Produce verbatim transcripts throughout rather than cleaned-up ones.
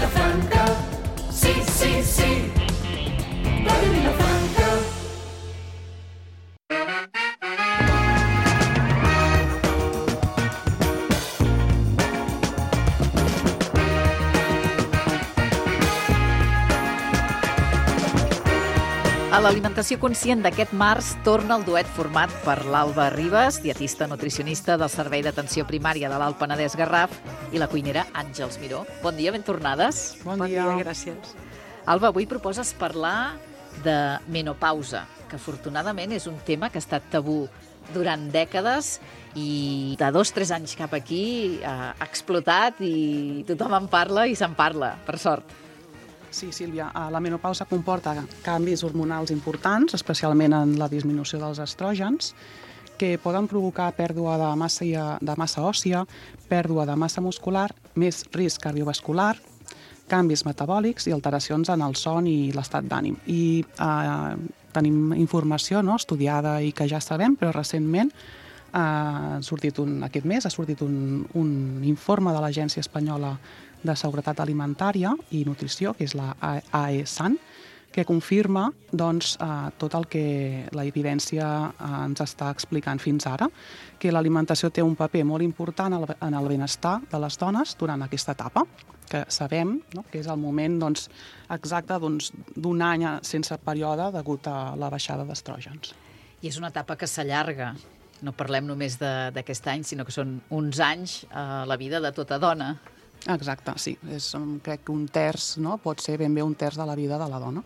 Vilafranca, sí, sí, sí, Ràdio Vilafranca. A l'alimentació conscient d'aquest març torna el duet format per l'Alba Ribas, dietista nutricionista del Servei d'Atenció Primària de l'Alt Penedès Garraf, i la cuinera Àngels Miró. Bon dia, ben tornades. Bon, bon dia. dia, gràcies. Alba, avui proposes parlar de menopausa, que afortunadament és un tema que ha estat tabú durant dècades i de dos o tres anys cap aquí ha explotat i tothom en parla i se'n parla, per sort. Sí, Sílvia, la menopausa comporta canvis hormonals importants, especialment en la disminució dels estrògens, que poden provocar pèrdua de massa, de massa òssia, pèrdua de massa muscular, més risc cardiovascular, canvis metabòlics i alteracions en el son i l'estat d'ànim. I eh, tenim informació no, estudiada i que ja sabem, però recentment eh, ha sortit un, aquest mes ha sortit un, un informe de l'Agència Espanyola de Seguretat Alimentària i Nutrició, que és la AESAN, que confirma doncs, eh, tot el que la evidència eh, ens està explicant fins ara, que l'alimentació té un paper molt important en el benestar de les dones durant aquesta etapa, que sabem no, que és el moment doncs, exacte d'un doncs, any sense període degut a la baixada d'estrògens. I és una etapa que s'allarga. No parlem només d'aquest any, sinó que són uns anys a la vida de tota dona. Exacte, sí. És, crec que un terç, no? Pot ser ben bé un terç de la vida de la dona.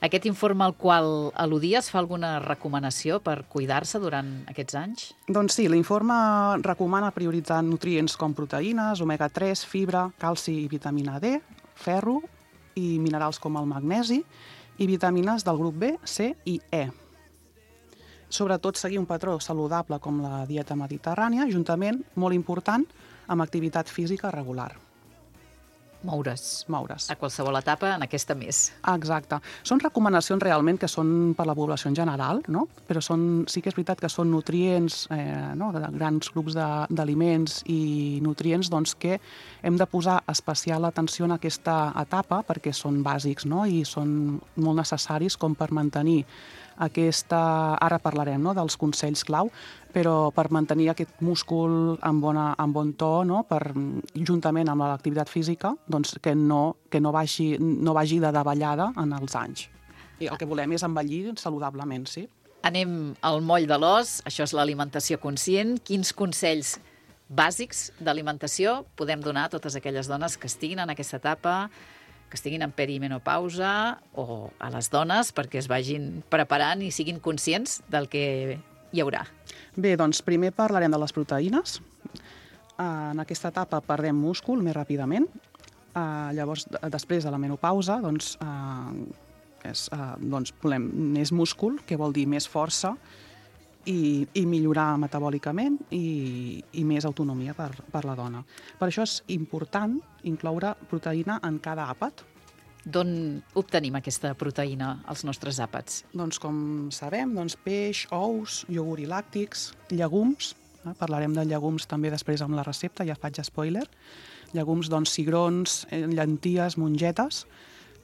Aquest informe al qual al·ludies fa alguna recomanació per cuidar-se durant aquests anys? Doncs sí, l'informe recomana prioritzar nutrients com proteïnes, omega tres, fibra, calci i vitamina D, ferro i minerals com el magnesi i vitamines del grup B, C i E. Sobretot seguir un patró saludable com la dieta mediterrània, juntament, molt important, amb activitat física regular. Moure's. Moure's. A qualsevol etapa, en aquesta més. Exacte. Són recomanacions realment que són per la població en general, no? Però són, sí que és veritat que són nutrients, eh, no? de grans grups d'aliments i nutrients doncs, que hem de posar especial atenció en aquesta etapa perquè són bàsics, no? I són molt necessaris com per mantenir aquesta... Ara parlarem no? dels consells clau, però per mantenir aquest múscul en, bona, en bon to, no? Per, juntament amb l'activitat física, doncs que, no, que no, vagi, no vagi de davallada en els anys. I el que volem és envellir saludablement, sí. Anem al moll de l'os, això és l'alimentació conscient. Quins consells bàsics d'alimentació podem donar a totes aquelles dones que estiguin en aquesta etapa, que estiguin en perimenopausa, o a les dones perquè es vagin preparant i siguin conscients del que hi haurà? Bé, doncs primer parlarem de les proteïnes. En aquesta etapa perdem múscul més ràpidament. Llavors, després de la menopausa, doncs, és, doncs volem més múscul, que vol dir més força, i, i millorar metabòlicament i, i més autonomia per, per la dona. Per això és important incloure proteïna en cada àpat. D'on obtenim aquesta proteïna als nostres àpats? Doncs com sabem, doncs peix, ous, iogurt i làctics, llegums, eh? Parlarem de llegums també després amb la recepta, ja faig spoiler, llegums, doncs cigrons, llenties, mongetes,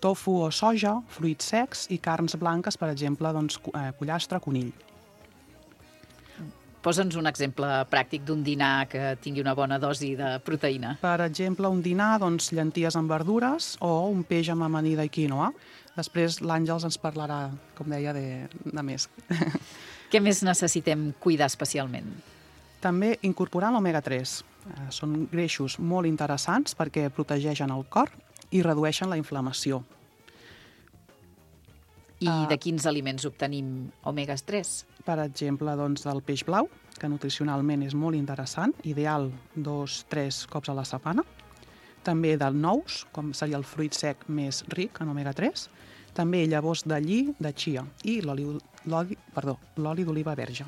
tofu o soja, fruits secs i carns blanques, per exemple, doncs, pollastre, conill. Posa'ns un exemple pràctic d'un dinar que tingui una bona dosi de proteïna. Per exemple, un dinar, doncs, llenties amb verdures o un peix amb amanida i quinoa. Després l'Àngels ens parlarà, com deia, de, de més. Què més necessitem cuidar especialment? També incorporar l'omega tres. Són greixos molt interessants perquè protegeixen el cor i redueixen la inflamació. I de quins aliments obtenim omega tres? Per exemple, doncs, del peix blau, que nutricionalment és molt interessant, ideal dos o tres cops a la setmana. També del nous, com seria el fruit sec més ric en omega tres. També llavors de lli, de chia i l'oli d'oliva verge.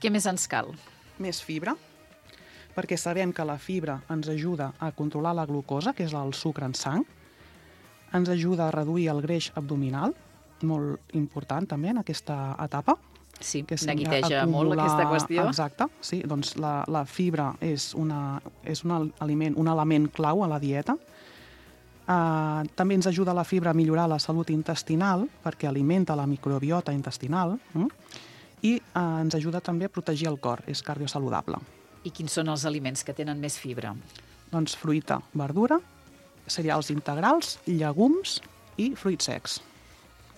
Què més ens cal? Més fibra, perquè sabem que la fibra ens ajuda a controlar la glucosa, que és el sucre en sang. Ens ajuda a reduir el greix abdominal, molt important també en aquesta etapa. Sí, neguiteja molt aquesta qüestió. Exacte, sí, doncs la, la fibra és, una, és un aliment, un element clau a la dieta. Uh, també ens ajuda la fibra a millorar la salut intestinal, perquè alimenta la microbiota intestinal, mm? i uh, ens ajuda també a protegir el cor, és cardiosaludable. I quins són els aliments que tenen més fibra? Doncs fruita, verdura, cereals integrals, llegums i fruits secs.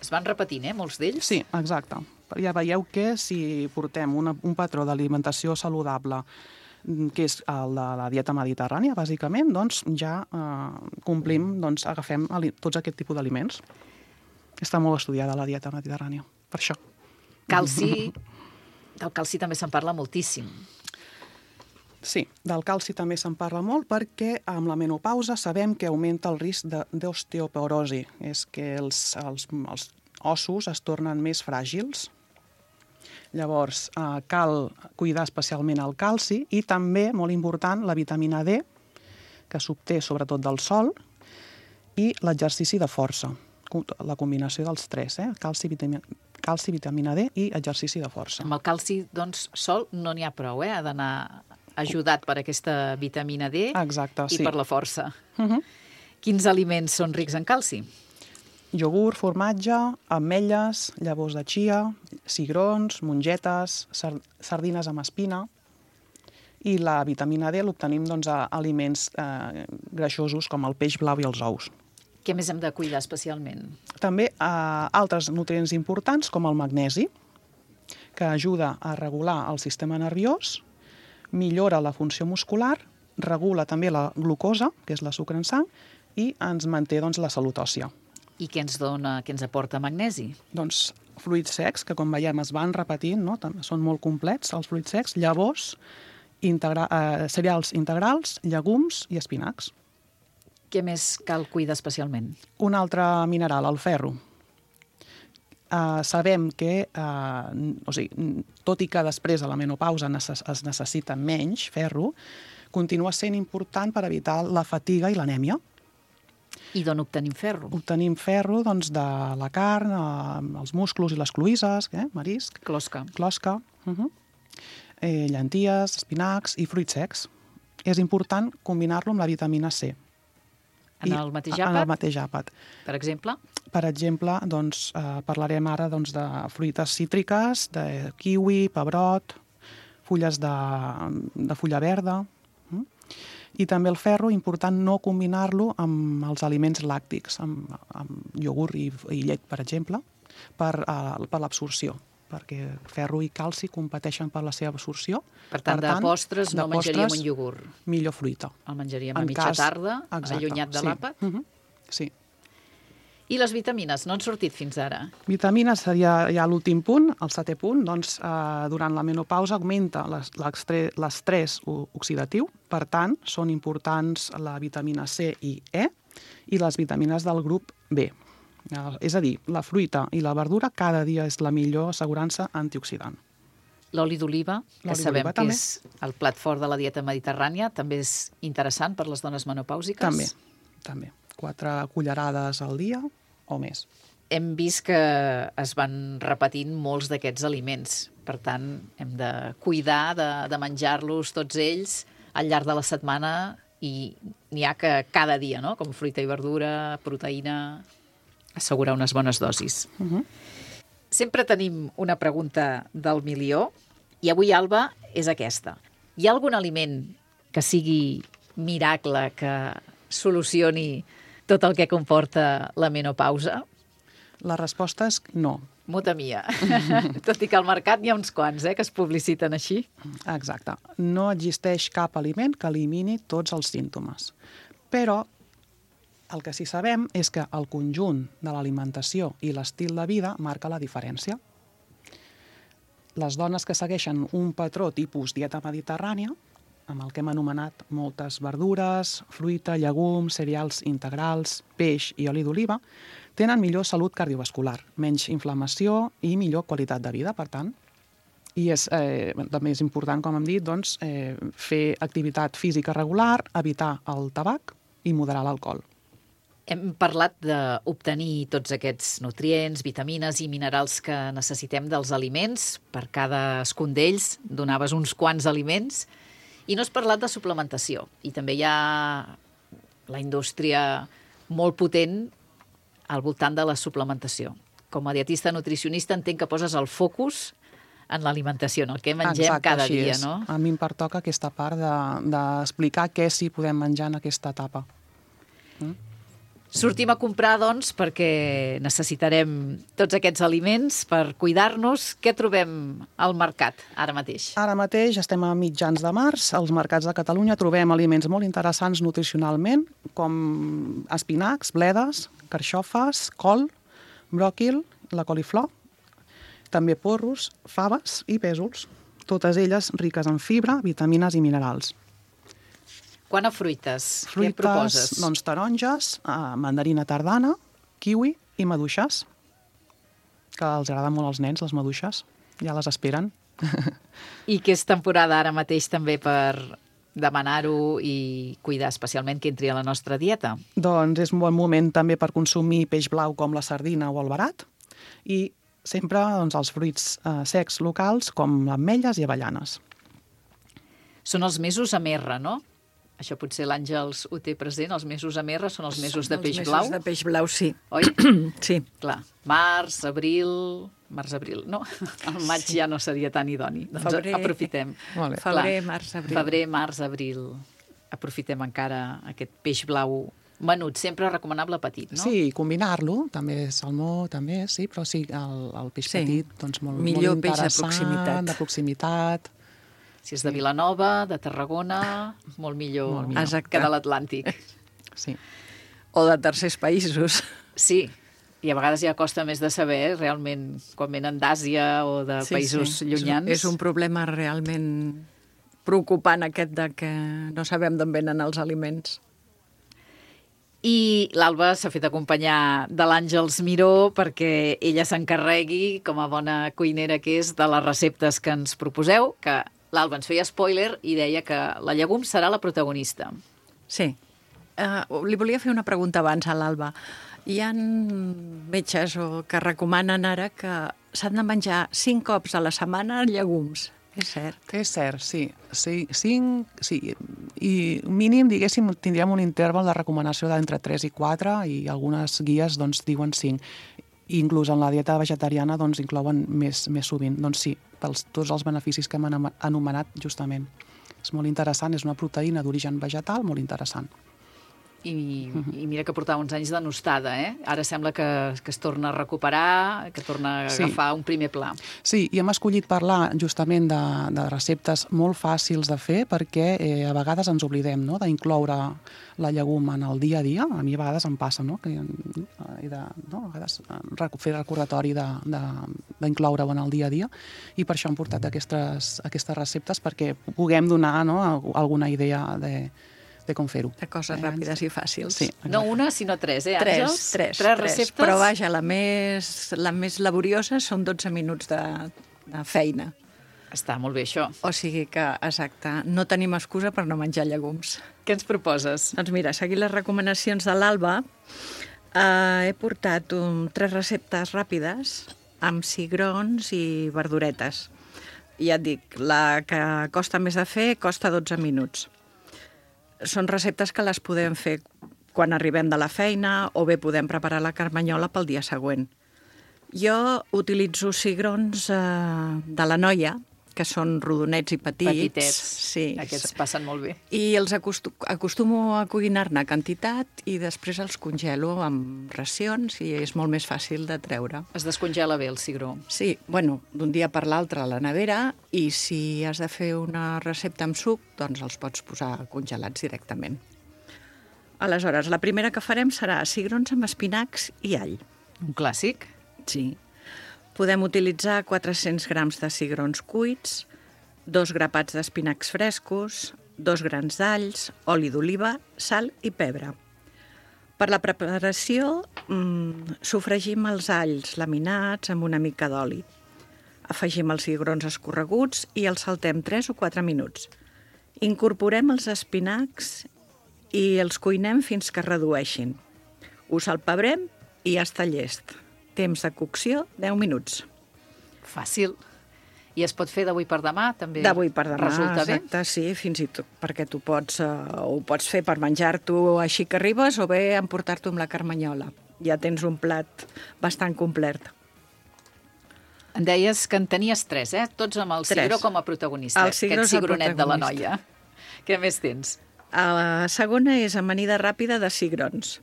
Es van repetint, eh, molts d'ells? Sí, exacte. Ja veieu que si portem una, un patró d'alimentació saludable, que és el de la dieta mediterrània, bàsicament, doncs ja eh, complim, doncs agafem tots aquest tipus d'aliments. Està molt estudiada la dieta mediterrània, per això. Calci, del calci també se'n parla moltíssim. Sí, del calci també se'n parla molt perquè amb la menopausa sabem que augmenta el risc d'osteoporosi, és que els, els, els ossos es tornen més fràgils. Llavors, eh, cal cuidar especialment el calci i també, molt important, la vitamina D, que s'obté sobretot del sol, i l'exercici de força, la combinació dels tres, eh? calci, vitamina, calci, vitamina D i exercici de força. Amb el calci, doncs, sol no n'hi ha prou, eh? Ha d'anar ajudat per aquesta vitamina D. Exacte, i sí. per la força. Uh -huh. Quins aliments són rics en calci? Iogurt, formatge, ametlles, llavors de chia, cigrons, mongetes, sardines amb espina. I la vitamina D l'obtenim doncs, a aliments eh, greixosos com el peix blau i els ous. Què més hem de cuidar especialment? També eh, altres nutrients importants com el magnesi, que ajuda a regular el sistema nerviós, millora la funció muscular, regula també la glucosa, que és la sucre en sang, i ens manté doncs, la salut òssia. I què ens dona, què ens aporta magnesi? Doncs fruits secs, que com veiem es van repetint, no? Són molt complets els fruits secs, llavors, integra eh, cereals integrals, llegums i espinacs. Què més cal cuidar especialment? Un altre mineral, el ferro. Uh, sabem que, uh, o sigui, tot i que després de la menopausa necess es necessita menys ferro, continua sent important per evitar la fatiga i l'anèmia. I d'on obtenim ferro? Obtenim ferro doncs, de la carn, eh, els musclos i les cloïsses, eh, marisc, Closca. closca, uh -huh. eh, llenties, espinacs i fruits secs. És important combinar-lo amb la vitamina C. En I, el mateix En àpat? el mateix àpat. Per exemple? Per exemple, doncs, eh, parlarem ara doncs, de fruites cítriques, de kiwi, pebrot, fulles de, de fulla verda. Mm? I també el ferro, important no combinar-lo amb els aliments làctics, amb, amb iogurt i, i llet, per exemple, per, uh, per l'absorció, perquè ferro i calci competeixen per la seva absorció. Per tant, per tant de postres de no menjaríem postres, un iogurt. Millor fruita. El menjaríem a En mitja cas, tarda, exacte, allunyat de sí. l'àpat. Uh -huh. Sí. I les vitamines, no han sortit fins ara? Vitamines seria ja l'últim punt, el setè punt. Doncs, eh, durant la menopausa augmenta l'estrès oxidatiu, per tant, són importants la vitamina C i E i les vitamines del grup B. Eh, és a dir, la fruita i la verdura cada dia és la millor assegurança antioxidant. L'oli d'oliva, que L'oli sabem d'oliva que també. és el plat fort de la dieta mediterrània, també és interessant per les dones menopàusiques? També, també. Quatre cullerades al dia o més. Hem vist que es van repetint molts d'aquests aliments. Per tant, hem de cuidar de, de menjar-los tots ells al llarg de la setmana i n'hi ha que cada dia, no? Com fruita i verdura, proteïna, assegurar unes bones dosis. Uh -huh. Sempre tenim una pregunta del milió i avui, Alba, és aquesta. Hi ha algun aliment que sigui miracle, que solucioni tot el que comporta la menopausa? La resposta és no. Muta mia. Tot i que al mercat n'hi ha uns quants, eh, que es publiciten així. Exacte. No existeix cap aliment que elimini tots els símptomes. Però el que sí sabem és que el conjunt de l'alimentació i l'estil de vida marca la diferència. Les dones que segueixen un patró tipus dieta mediterrània, amb el que hem anomenat moltes verdures, fruita, llegums, cereals integrals, peix i oli d'oliva, tenen millor salut cardiovascular, menys inflamació i millor qualitat de vida, per tant. I és, eh, també és important, com hem dit, doncs, eh, fer activitat física regular, evitar el tabac i moderar l'alcohol. Hem parlat d'obtenir tots aquests nutrients, vitamines i minerals que necessitem dels aliments. Per cadascun d'ells donaves uns quants aliments. I no has parlat de suplementació. I també hi ha la indústria molt potent al voltant de la suplementació. Com a dietista nutricionista entenc que poses el focus en l'alimentació, en el que mengem Exacte, cada així dia, és. no? A mi em pertoca aquesta part d'explicar de, què sí podem menjar en aquesta etapa. Mm? Sortim a comprar, doncs, perquè necessitarem tots aquests aliments per cuidar-nos. Què trobem al mercat ara mateix? Ara mateix estem a mitjans de març. Als mercats de Catalunya trobem aliments molt interessants nutricionalment, com espinacs, bledes, carxofes, col, bròquil, la coliflor, també porros, faves i pèsols, totes elles riques en fibra, vitamines i minerals. Quant a fruites, Fruites, què proposes? doncs taronges, eh, mandarina tardana, kiwi i maduixes, que els agraden molt als nens, les maduixes, ja les esperen. I que és temporada ara mateix també per demanar-ho i cuidar especialment que entri a la nostra dieta. Doncs és un bon moment també per consumir peix blau com la sardina o el verat i sempre doncs, els fruits eh, secs locals com ametlles i avellanes. Són els mesos amb R, no? Això potser l'Àngels ho té present, els mesos amb R són els mesos de peix blau. Els mesos de peix blau, sí. Oi? Sí. Clar, març, abril... Març, abril, no? El maig sí. Ja no seria tan idoni. Doncs Febrer. aprofitem. Molt bé. Febrer, Clar, març, abril. Febrer, març, abril. Aprofitem encara aquest peix blau menut, sempre recomanable petit, no? Sí, combinar-lo, també salmó, també, sí, però sí, el, el peix Sí. petit, doncs molt, Millor molt peix de interessant, proximitat. de proximitat. Si és de Vilanova, de Tarragona, molt millor, Molt millor. que de l'Atlàntic. Sí. O de tercers països. Sí, i a vegades ja costa més de saber, realment, quan venen d'Àsia o de Sí, països sí. llunyans. És un problema realment preocupant aquest de que no sabem d'on venen els aliments. I l'Alba s'ha fet acompanyar de l'Àngels Miró perquè ella s'encarregui, com a bona cuinera que és, de les receptes que ens proposeu, que l'Alba ens feia spoiler i deia que la llegum serà la protagonista. Sí. Uh, li volia fer una pregunta abans a l'Alba. Hi ha metges o que recomanen ara que s'han de menjar cinc cops a la setmana llegums. És cert. És cert, sí. sí, cinc, sí. I mínim, diguéssim, tindríem un interval de recomanació d'entre tres i quatre i algunes guies doncs, diuen cinc. I inclús en la dieta vegetariana doncs, inclouen més, més sovint. Doncs sí, pels tots els beneficis que hem anomenat justament. És molt interessant, és una proteïna d'origen vegetal molt interessant. I, i mira que portava uns anys de nostada, eh? Ara sembla que, que es torna a recuperar, que torna a Sí. agafar un primer pla. Sí, i hem escollit parlar justament de, de receptes molt fàcils de fer perquè eh, a vegades ens oblidem, no?, d'incloure la llegum en el dia a dia. A mi a vegades em passa, no?, que he de, no? a vegades rec- fer recordatori d'incloure-ho en el dia a dia i per això hem portat aquestes, aquestes receptes perquè puguem donar, no?, alguna idea de de com fer-ho. De coses ràpides i fàcils. Sí, No una, sinó tres, eh, Tres, Àngels? tres, Tres receptes? Però vaja, la més, la més laboriosa són dotze minuts de, de feina. Està molt bé, això. O sigui que, exacte, no tenim excusa per no menjar llegums. Què ens proposes? Doncs mira, seguint les recomanacions de l'Alba, eh, he portat un, tres receptes ràpides amb cigrons i verduretes. I ja et dic, la que costa més de fer costa dotze minuts. Són receptes que les podem fer quan arribem de la feina o bé podem preparar la carmanyola pel dia següent. Jo utilitzo cigrons eh, de la Noia, que són rodonets i petits. Petitets. Sí. Aquests passen molt bé. I els acostu acostumo a cuinar-ne quantitat i després els congelo amb racions i és molt més fàcil de treure. Es descongela bé el cigró. Sí, bueno, d'un dia per l'altre a la nevera i si has de fer una recepta amb suc, doncs els pots posar congelats directament. Aleshores, la primera que farem serà cigrons amb espinacs i all. Un clàssic. Sí. Podem utilitzar quatre-cents grams de cigrons cuits, dos grapats d'espinacs frescos, dos grans d'alls, oli d'oliva, sal i pebre. Per la preparació, mmm, sofregim els alls laminats amb una mica d'oli. Afegim els cigrons escorreguts i els saltem tres o quatre minuts. Incorporem els espinacs i els cuinem fins que es redueixin. Ho salpebrem i ja està llest. Temps de cocció, deu minuts. Fàcil. I es pot fer d'avui per demà, també? D'avui per demà, resulta exacte, bé? Sí, fins i tot, perquè tu pots, uh, ho pots fer per menjar-t'ho així que arribes o bé emportar-t'ho amb la carmanyola. Ja tens un plat bastant complet. Em deies que en tenies tres, eh? Tots amb el Tres. cigró com a protagonista. El cigró Aquest és el cigronet de la protagonista. noia. Què més tens? La segona és amanida ràpida de cigrons.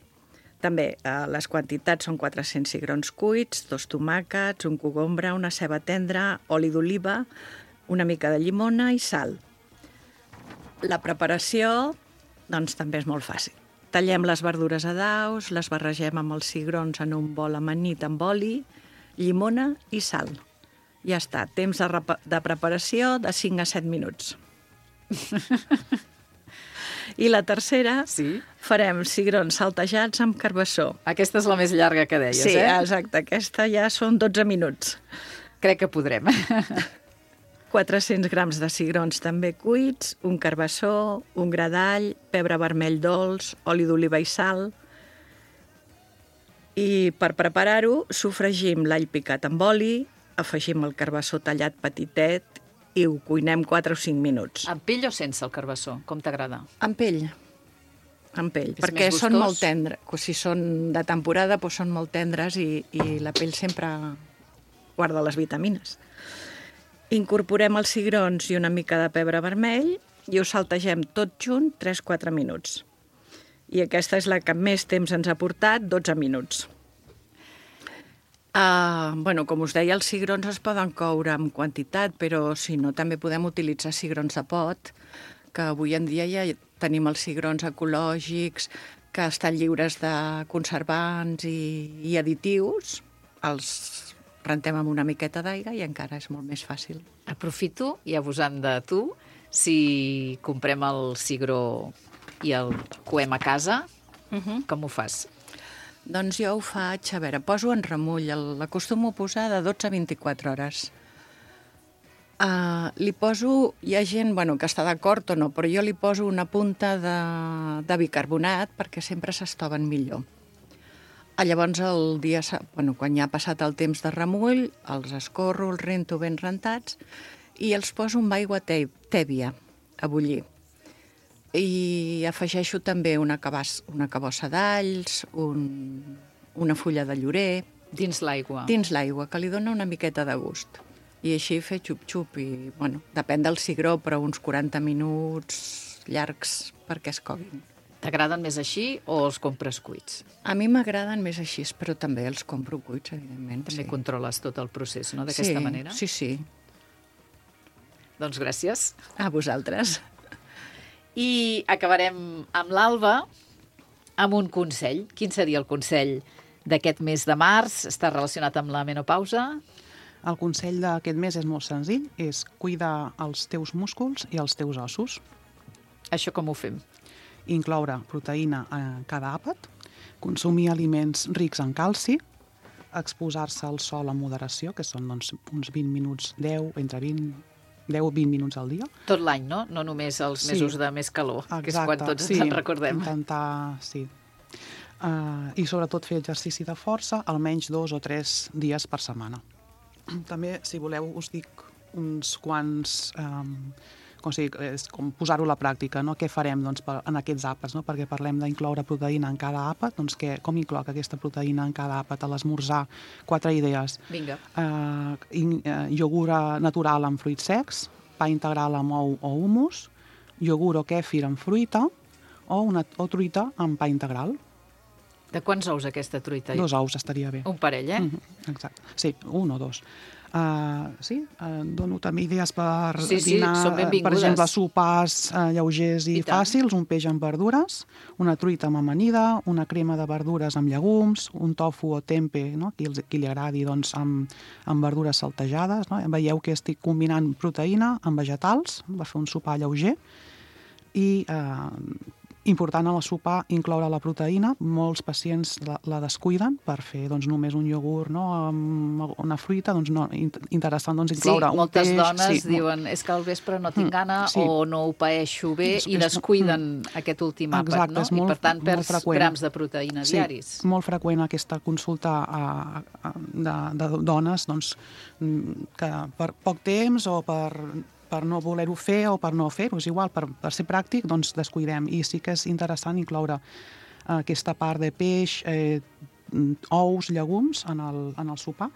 També eh, les quantitats són quatre-cents cigrons cuits, dos tomàquets, un cogombre, una ceba tendra, oli d'oliva, una mica de llimona i sal. La preparació, doncs, també és molt fàcil. Tallem les verdures a daus, les barregem amb els cigrons en un bol amanit amb oli, llimona i sal. Ja està, temps de, de preparació de cinc a set minuts. I la tercera, Sí? farem cigrons saltejats amb carbassó. Aquesta és la més llarga que deies, Sí, eh? exacte, aquesta ja són dotze minuts. Crec que podrem. quatre-cents grams de cigrons també cuits, un carbassó, un gra d'all, pebre vermell dolç, oli d'oliva i sal. I per preparar-ho, sofregim l'all picat amb oli, afegim el carbassó tallat petitet i ho cuinem quatre o cinc minuts. Amb pell o sense el carbassó? Com t'agrada? Amb pell. Amb pell, És perquè més són gustós? molt tendres. Si són de temporada, doncs són molt tendres i, i la pell sempre guarda les vitamines. Incorporem els cigrons i una mica de pebre vermell i ho saltegem tot junt tres a quatre minuts. I aquesta és la que més temps ens ha portat, dotze minuts. Uh, bueno, com us deia, els cigrons es poden coure amb quantitat, però si no, també podem utilitzar cigrons de pot, que avui en dia ja tenim els cigrons ecològics, que estan lliures de conservants i, i additius. Els rentem amb una miqueta d'aigua i encara és molt més fàcil. Aprofito, i abusant de tu, si comprem el cigró i el coem a casa, Uh-huh. com ho fas? Doncs jo ho faig, a veure, poso en remull, el- l'acostumo a posar de dotze a vint-i-quatre hores. Uh, li poso, hi ha gent bueno, que està d'acord o no, però jo li poso una punta de, de bicarbonat perquè sempre s'estoven millor. Ah, llavors, el dia, s'ha- bueno, quan ja ha passat el temps de remull, els escorro, els rento ben rentats i els poso amb aigua te tèbia a bullir. I afegeixo també una, cabàs, una cabossa d'alls, un, una fulla de llorer, Dins l'aigua. dins l'aigua, que li dona una miqueta de gust. I així fer xup-xup, i, bueno, depèn del cigró, però uns quaranta minuts llargs perquè es coguin. T'agraden més així o els compres cuits? A mi m'agraden més així, però també els compro cuits, evidentment. També sí. controles tot el procés, no?, d'aquesta sí, manera? Sí, sí. Doncs gràcies. A vosaltres. I acabarem amb l'Alba amb un consell. Quin seria el consell d'aquest mes de març? Està relacionat amb la menopausa? El consell d'aquest mes és molt senzill, és cuidar els teus músculs i els teus ossos, Això com ho fem? incloure proteïna a cada àpat, consumir aliments rics en calci, exposar-se al sol amb moderació, que són doncs, uns vint minuts, deu, entre vint, deu o vint minuts al dia. Tot l'any, no? No només els Sí. mesos de més calor, que és quan tots sí, ens en recordem. intentar, sí. Uh, I sobretot fer exercici de força almenys dos o tres dies per setmana. També, si voleu, us dic uns quants... Um, com, sigui, és com posar-ho a la pràctica, no? Què farem doncs, per, en aquests àpats, no? Perquè parlem d'incloure proteïna en cada àpat, doncs què, com incloc aquesta proteïna en cada àpat? A l'esmorzar, quatre idees. Vinga. Uh, in, uh, iogurt natural amb fruits secs, pa integral amb ou o humus, iogurt o kèfir amb fruita o, una, o truita amb pa integral. De quants ous aquesta truita? Dos ous estaria bé. Un parell, eh? Mm -hmm, exacte. Sí, un o dos. Uh, sí, uh, dono també idees per Sí, sí, dinar, són benvingudes. per exemple, sopars uh, lleugers i, I tant. fàcils, un peix amb verdures, una truita amb amanida, una crema de verdures amb llegums, un tofu o tempe, no? qui, els, qui li agradi, doncs, amb, amb verdures saltejades. No? Veieu que estic combinant proteïna amb vegetals per fer un sopar lleuger i uh, Important a la sopar incloure la proteïna. Molts pacients la, la descuiden per fer doncs, només un iogurt, no? Amb una fruita. Doncs no, interessant doncs, incloure sí, un peix. Sí, moltes dones sí, diuen és que al vespre no tinc gana sí. o no ho paeixo bé és, i descuiden mm. aquest últim àpat, Exacte, no? molt, I per tant perds grams de proteïna sí, diaris. Molt freqüent aquesta consulta a, a, de, de dones doncs, que per poc temps o per... per no voler-ho fer o per no fer-ho, és igual, per, per ser pràctic, doncs descuidem. I sí que és interessant incloure eh, aquesta part de peix, eh, ous, llegums en el, en el sopar.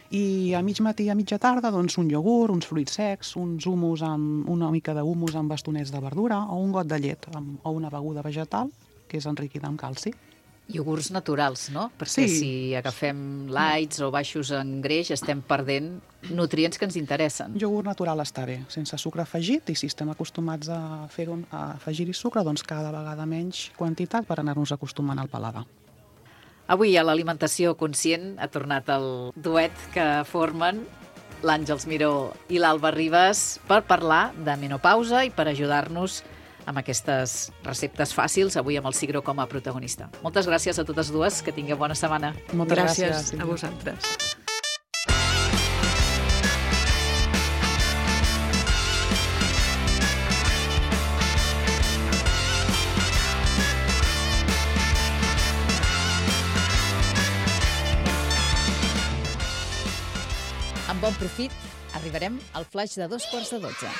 I a mig matí i a mitja tarda, doncs, un iogurt, uns fruits secs, uns humus amb, una mica d'humus amb bastonets de verdura o un got de llet amb, o una beguda vegetal que és enriquida amb calci. Iogurts naturals, no? Perquè sí. si agafem lights o baixos en greix estem perdent nutrients que ens interessen. Iogurt natural està bé, sense sucre afegit, i si estem acostumats a fer-ho, a afegir-hi sucre, doncs cada vegada menys quantitat per anar-nos acostumant al paladar. Avui a l'Alimentació Conscient ha tornat el duet que formen l'Àngels Miró i l'Alba Ribas per parlar de menopausa i per ajudar-nos amb aquestes receptes fàcils, avui amb el Sigro com a protagonista. Moltes gràcies a totes dues, que tingueu bona setmana. Moltes gràcies, gràcies a vosaltres. Amb bon profit arribarem al flaix de dos quarts de dotze.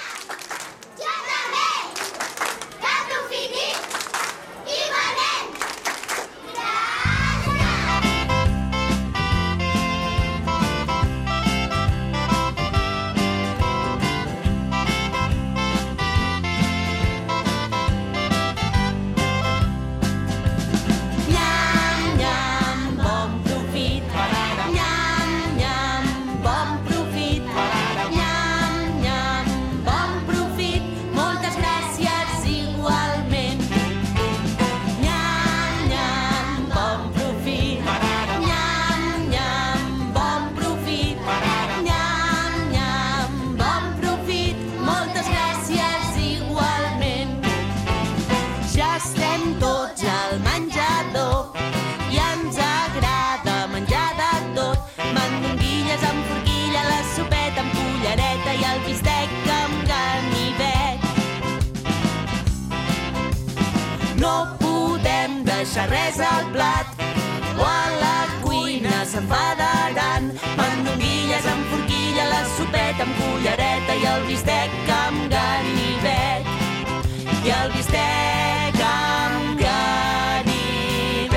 Res al plat o a la cuina s'enfadaran. Mandonguilles amb forquilla, la sopeta amb cullereta i el bistec amb ganivet. I el bistec amb ganivet.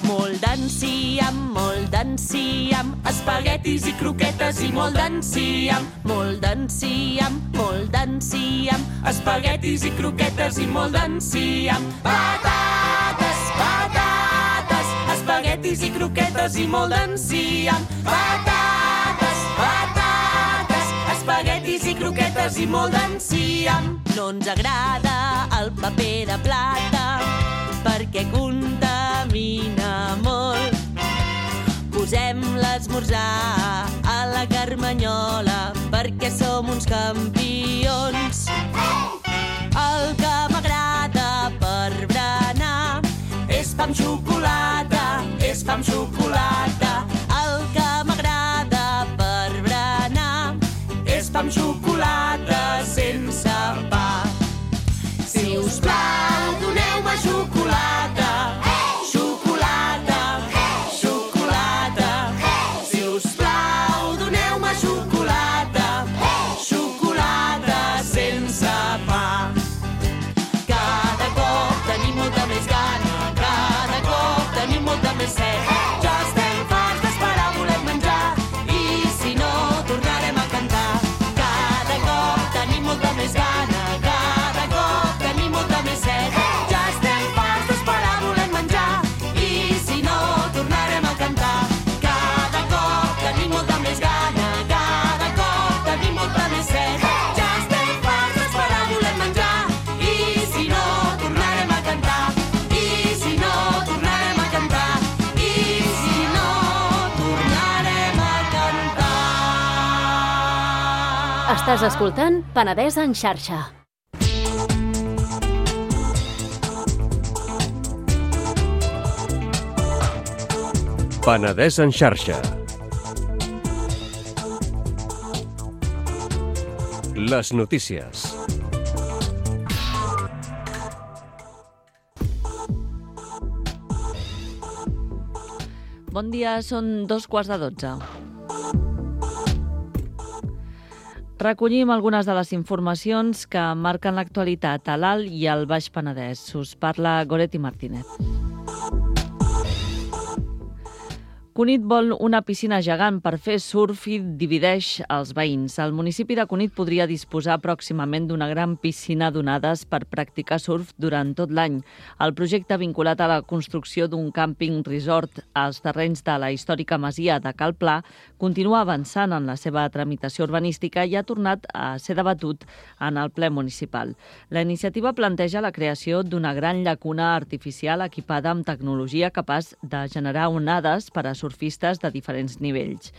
Molt d'enciam, molt d'enciam, espaguetis i croquetes i molt d'enciam. Molt d'enciam, molt d'enciam, espaguetis i croquetes i molt d'enciam. Patates, patates, espaguetis i croquetes i molt d'enciam. Patates, patates, espaguetis i croquetes i molt d'enciam. No ens agrada el paper de plata perquè contamina molt. Posem l'esmorzar a la carmanyola perquè som uns campions. El que m'agrada per berenar és pa amb xocolata, és pa amb xocolata. El que m'agrada per berenar és pa amb xocolata sense pa. Si us plau, doneu-me xocolata. Xocolata, xocolata. Si us plau, doneu-me xocolata. Xocolata sense pa. Cada cop tenim molta més gana, cada cop tenim molta més set. Ja estem farts d'esperar, volem menjar, i si no, tornarem a cantar. Cada cop tenim molta més gana, cada cop tenim molta més set. Ja estem farts d'esperar, volem menjar, i si no, tornarem a cantar. Cada cop tenim molta més gana, cada cop tenim molta més set. Ja estem farts d'esperar, volem menjar, i si no, tornarem a cantar. I si no, tornarem a cantar. I si no, tornarem a cantar. Estàs escoltant Penedès en xarxa. Penedès en xarxa. Les notícies. Bon dia, són dos quarts de dotze. Recollim algunes de les informacions que marquen l'actualitat a l'Alt i al Baix Penedès. Us parla Goretti Martínez. Cunit vol una piscina gegant per fer surf i divideix els veïns. El municipi de Cunit podria disposar pròximament d'una gran piscina d'onades per practicar surf durant tot l'any. El projecte vinculat a la construcció d'un càmping resort als terrenys de la històrica masia de Cal Pla continua avançant en la seva tramitació urbanística i ha tornat a ser debatut en el ple municipal. La iniciativa planteja la creació d'una gran llacuna artificial equipada amb tecnologia capaç de generar onades per a surfistes de diferents nivells.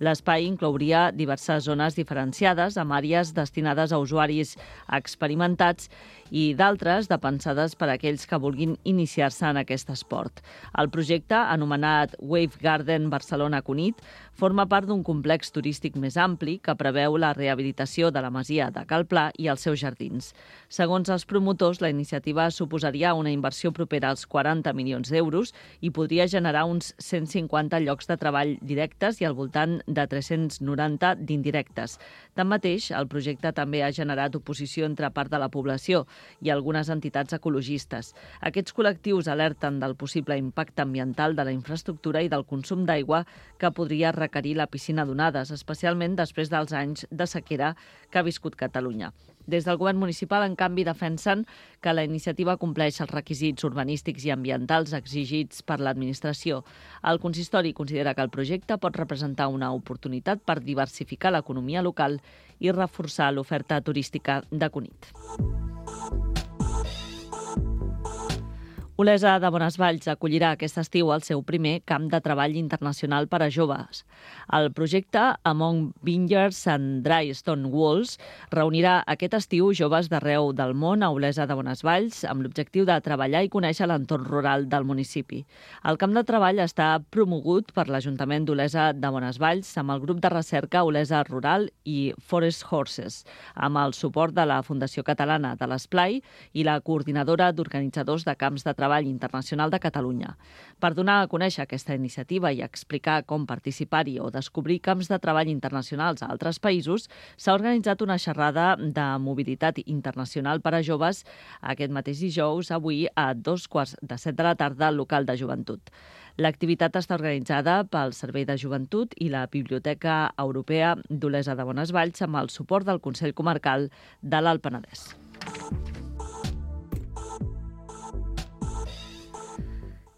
L'espai inclouria diverses zones diferenciades amb àrees destinades a usuaris experimentats i d'altres de pensades per a aquells que vulguin iniciar-se en aquest esport. El projecte, anomenat Wave Garden Barcelona Cunit, forma part d'un complex turístic més ampli que preveu la rehabilitació de la masia de Cal Pla i els seus jardins. Segons els promotors, la iniciativa suposaria una inversió propera als quaranta milions d'euros i podria generar uns cent cinquanta llocs de treball directes i al voltant de tres-cents noranta d'indirectes. Tanmateix, el projecte també ha generat oposició entre part de la població i algunes entitats ecologistes. Aquests col·lectius alerten del possible impacte ambiental de la infraestructura i del consum d'aigua que podria requerir la piscina d'onades, especialment després dels anys de sequera que ha viscut Catalunya. Des del govern municipal, en canvi, defensen que la iniciativa compleix els requisits urbanístics i ambientals exigits per l'administració. El consistori considera que el projecte pot representar una oportunitat per diversificar l'economia local i reforçar l'oferta turística de Cunit. Olesa de Bonesvalls acollirà aquest estiu el seu primer camp de treball internacional per a joves. El projecte Among Vineyards and Dry Stone Walls reunirà aquest estiu joves d'arreu del món a Olesa de Bonesvalls amb l'objectiu de treballar i conèixer l'entorn rural del municipi. El camp de treball està promogut per l'Ajuntament d'Olesa de Bonesvalls amb el grup de recerca Olesa Rural i Forest Horses, amb el suport de la Fundació Catalana de l'Esplai i la Coordinadora d'Organitzadors de Camps de Treball Treball Internacional de Catalunya. Per donar a conèixer aquesta iniciativa i explicar com participar-hi o descobrir camps de treball internacionals a altres països, s'ha organitzat una xerrada de mobilitat internacional per a joves aquest mateix dijous, avui a dos quarts de set de la tarda al local de joventut. L'activitat està organitzada pel Servei de Joventut i la Biblioteca Europea d'Olesa de Bonesvalls amb el suport del Consell Comarcal de l'Alt Penedès.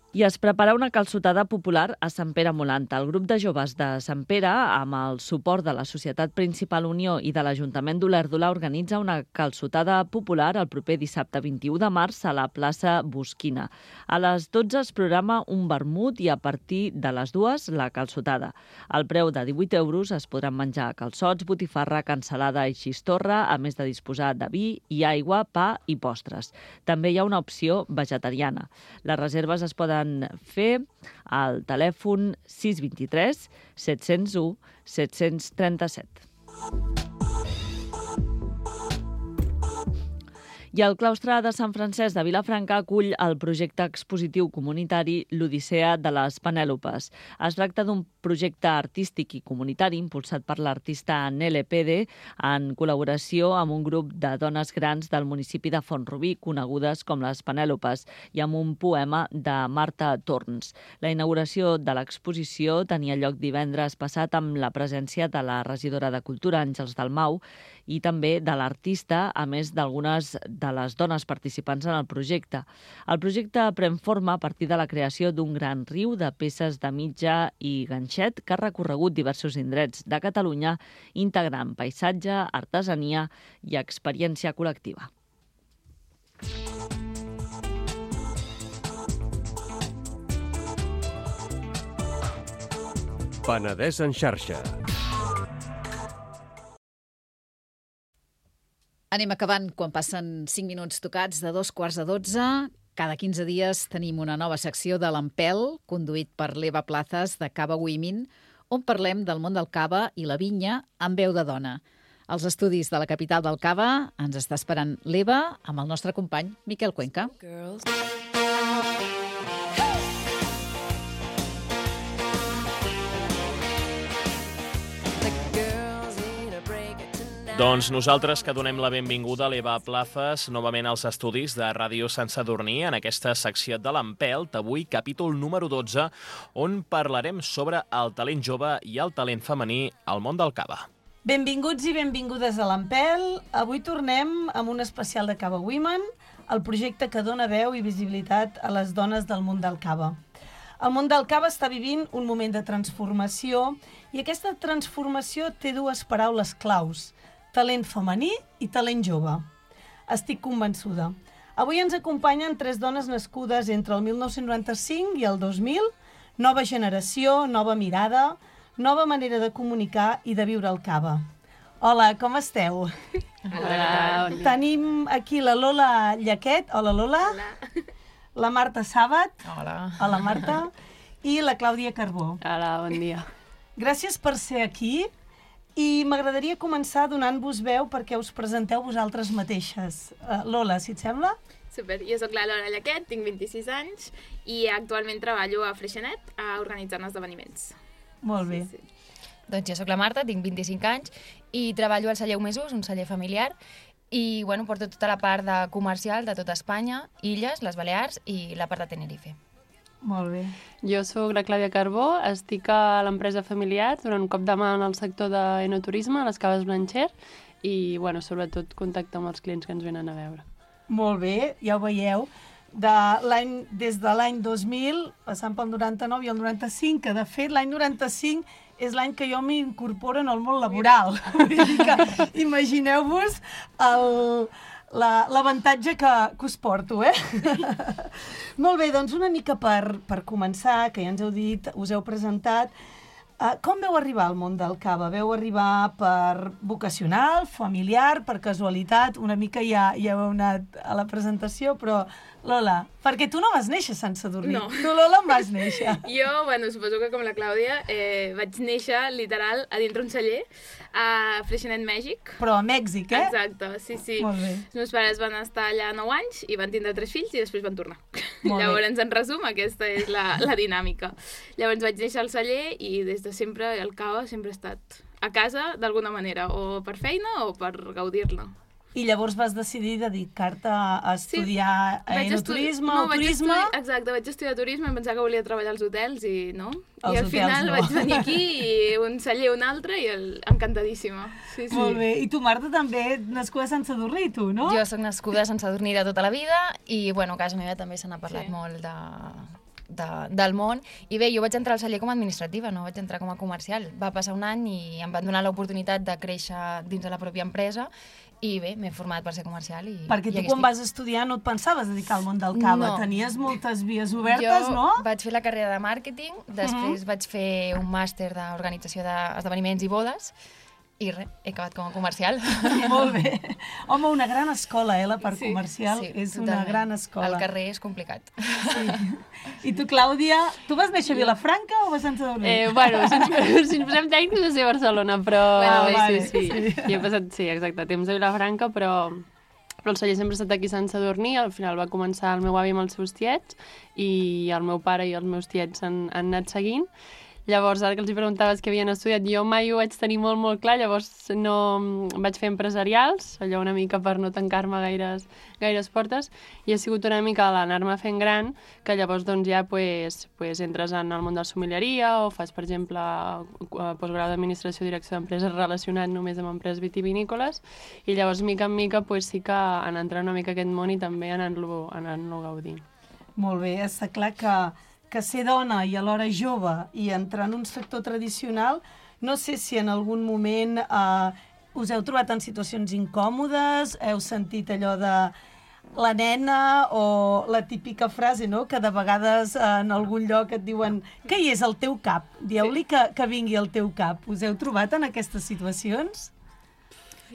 I es prepara una calçotada popular a Sant Pere Molanta. El grup de joves de Sant Pere, amb el suport de la Societat Principal Unió i de l'Ajuntament d'Olèrdola, organitza una calçotada popular el proper dissabte vint-i-u de març a la plaça Bosquina. A les dotze es programa un vermut i a partir de les dues la calçotada. Al preu de divuit euros es podran menjar calçots, botifarra, cansalada i xistorra, a més de disposar de vi i aigua, pa i postres. També hi ha una opció vegetariana. Les reserves es poden fer al telèfon sis dos tres set zero u set tres set. I el claustre de Sant Francesc de Vilafranca acull el projecte expositiu comunitari L'Odissea de les Penèlopes. Es tracta d'un projecte artístic i comunitari impulsat per l'artista Nele Pede en col·laboració amb un grup de dones grans del municipi de Font-rubí, conegudes com les Penèlopes, i amb un poema de Marta Torns. La inauguració de l'exposició tenia lloc divendres passat amb la presència de la regidora de Cultura, Àngels Dalmau, i també de l'artista, a més d'algunes de les dones participants en el projecte. El projecte pren forma a partir de la creació d'un gran riu de peces de mitja i ganxet que ha recorregut diversos indrets de Catalunya, integrant paisatge, artesania i experiència col·lectiva. Penedès en xarxa. Anem acabant quan passen cinc minuts tocats de dos quarts de dotze. Cada quinze dies tenim una nova secció de l'Empel, conduït per l'Eva Plazas de Cava Women, on parlem del món del cava i la vinya amb veu de dona. Als estudis de la capital del cava ens està esperant l'Eva amb el nostre company Miquel Cuenca. Doncs nosaltres que donem la benvinguda a l'Eva Plazas novament als estudis de Ràdio Sant Sadurní en aquesta secció de l'Empelt, avui capítol número dotze, on parlarem sobre el talent jove i el talent femení al món del cava. Benvinguts i benvingudes a l'Empelt. Avui tornem amb un especial de Cava Women, el projecte que dona veu i visibilitat a les dones del món del cava. El món del cava està vivint un moment de transformació i aquesta transformació té dues paraules claus: talent femení i talent jove. Estic convençuda. Avui ens acompanyen tres dones nascudes entre el mil nou-cents noranta-cinc i el dos mil, nova generació, nova mirada, nova manera de comunicar i de viure el cava. Hola, com esteu? Hola. Tenim aquí la Lola Llaquet. Hola, Lola. Hola. La Marta Sàbat. Hola. Hola, Marta. I la Clàudia Carbó. Hola, bon dia. Gràcies per ser aquí. I m'agradaria començar donant-vos veu perquè us presenteu vosaltres mateixes. Uh, Lola, si et sembla? Super, jo sóc la Lola Llaquet, tinc vint-i-sis anys i actualment treballo a Freixenet uh, organitzant esdeveniments. Molt bé. Sí, sí. Doncs jo sóc la Marta, tinc vint-i-cinc anys i treballo al celler Omesos, un celler familiar, i bueno, porto tota la part de comercial de tota Espanya, Illes, les Balears i la part de Tenerife. Molt bé. Jo sóc la Clàudia Carbó, estic a l'empresa familiar donant un cop de mà en el sector d'enoturisme, a les caves Blancher, i bueno, sobretot contacte amb els clients que ens venen a veure. Molt bé, ja ho veieu. De l'any, des de l'any dos mil, passant pel noranta-nou i el noranta-cinc, que de fet l'any noranta-cinc és l'any que jo m'incorporo en el món laboral. Vull dir que imagineu-vos el... l'avantatge que, que us porto, eh? Molt bé, doncs una mica per, per començar, que ja ens heu dit, us heu presentat, uh, com veu arribar al món del cava? Veu arribar per vocacional, familiar, per casualitat? Una mica ja, ja heu anat a la presentació, però Lola, perquè tu no vas néixer a Sant Sadurní. No. Tu, Lola, em vas néixer. Jo, bueno, suposo que com la Clàudia, eh, vaig néixer literal a dintre un celler a Freixenet, Mèxic. Però a Mèxic, eh? Exacte, sí, sí. Molt bé. Els meus pares van estar allà nou anys i van tindre tres fills i després van tornar. Molt Llavors, bé. en resum, aquesta és la, la dinàmica. Llavors vaig néixer al celler i des de sempre el cava sempre ha estat a casa d'alguna manera, o per feina o per gaudir-la. I llavors vas decidir dedicar-te a estudiar sí. enoturisme no, o turisme? Estudi... Exacte, vaig estudiar turisme, em pensava que volia treballar als hotels i no. Els I al hotels, final no. vaig venir aquí i un celler, un altre, i el... encantadíssima. Sí, sí. Molt bé. I tu, Marta, també nascuda a Sant Sadurní, tu, no? Jo sóc nascuda a Sant Sadurní de tota la vida i, bueno, a casa meva també se n'ha parlat Sí. molt de, de, del món. I bé, jo vaig entrar al celler com a administrativa, no vaig entrar com a comercial. Va passar un any i em van donar l'oportunitat de créixer dins de la pròpia empresa i bé, m'he format per ser comercial. I, Perquè i tu aquí quan estic. vas estudiar no et pensaves dedicar al món del cava. No. Tenies moltes vies obertes, jo no? vaig fer la carrera de màrqueting, després uh-huh. vaig fer un màster d'organització d'esdeveniments i bodes i res, he acabat com a comercial. Molt bé. Home, una gran escola, eh, la part Sí. comercial. Sí, és una totalment. gran escola. El carrer és complicat. Sí. I tu, Clàudia, tu vas néixer a Vilafranca o vas a Sant Sadurní? Eh, bueno, si ens, si ens posem tècnics, no sé Barcelona, però... Bueno, sí, vale. sí, sí. I he passat, sí, exacte, temps a Vilafranca, però, però el celler sempre ha estat aquí a Sant Sadurní. Al final va començar el meu avi amb els seus tiets i el meu pare i els meus tiets han, han anat seguint. Llavors, ara que els preguntaves què havien estudiat, jo mai ho vaig tenir molt, molt clar, llavors no vaig fer empresarials, allò una mica per no tancar-me gaires, gaires portes, i ha sigut una mica l'anar-me fent gran, que llavors doncs, ja pues, pues, entres en el món de la sommelieria o fas, per exemple, postgrau d'administració i direcció d'empreses relacionat només amb empreses vitivinícoles, i llavors, mica en mica, pues, sí que en entrar una mica a aquest món i també anant-lo anant-lo gaudint. Molt bé, està clar que que ser dona i alhora jove i entrar en un sector tradicional, no sé si en algun moment eh, us heu trobat en situacions incòmodes, heu sentit allò de la nena o la típica frase, no?, que de vegades eh, en algun lloc et diuen què hi és el teu cap? Dieu-li que, que vingui al teu cap. Us heu trobat en aquestes situacions?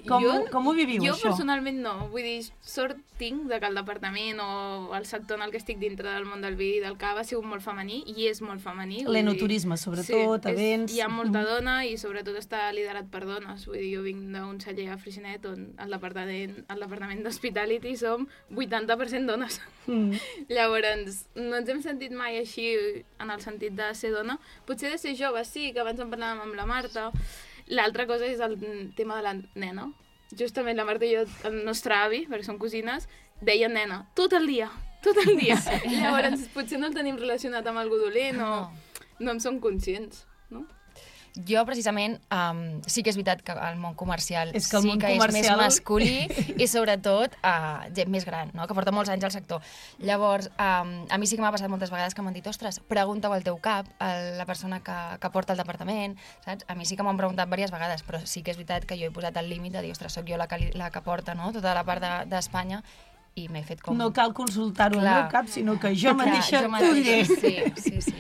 Com, jo, com ho viviu, jo això? Jo personalment no. Vull dir, sort tinc de que el departament o el sector en el que estic dintre del món del vi i del cava ha sigut molt femení, i és molt femení. L'enoturisme, sobretot, sí, events... És, hi ha molta dona i sobretot està liderat per dones. Vull dir, jo vinc d'un celler a Freixenet on al departament, al departament d'Hospitality som vuitanta per cent dones. Mm. Llavors, no ens hem sentit mai així en el sentit de ser dona. Potser de ser jove, sí, que abans en parlàvem amb la Marta. L'altra cosa és el tema de la nena. Justament la Marta i jo, el nostre avi, perquè som cosines, deia nena tot el dia, tot el dia. Sí. Llavors, potser no el tenim relacionat amb algú dolent o no en som conscients, no? Jo, precisament, um, sí que és veritat que el món comercial és que el sí món que comercial... és més masculí i, sobretot, uh, gent més gran, no? Que porta molts anys al sector. Llavors, um, a mi sí que m'ha passat moltes vegades que m'han dit ostres, pregunta-ho al teu cap, a la persona que, que porta el departament, saps? A mi sí que m'han preguntat diverses vegades, però sí que és veritat que jo he posat el límit de dir, ostres, soc jo la que, la que porta, no?, tota la part d'Espanya, de, i m'he fet com... No cal consultar-ho al meu cap, sinó que jo mateixa t'ho diré. Sí, sí, sí.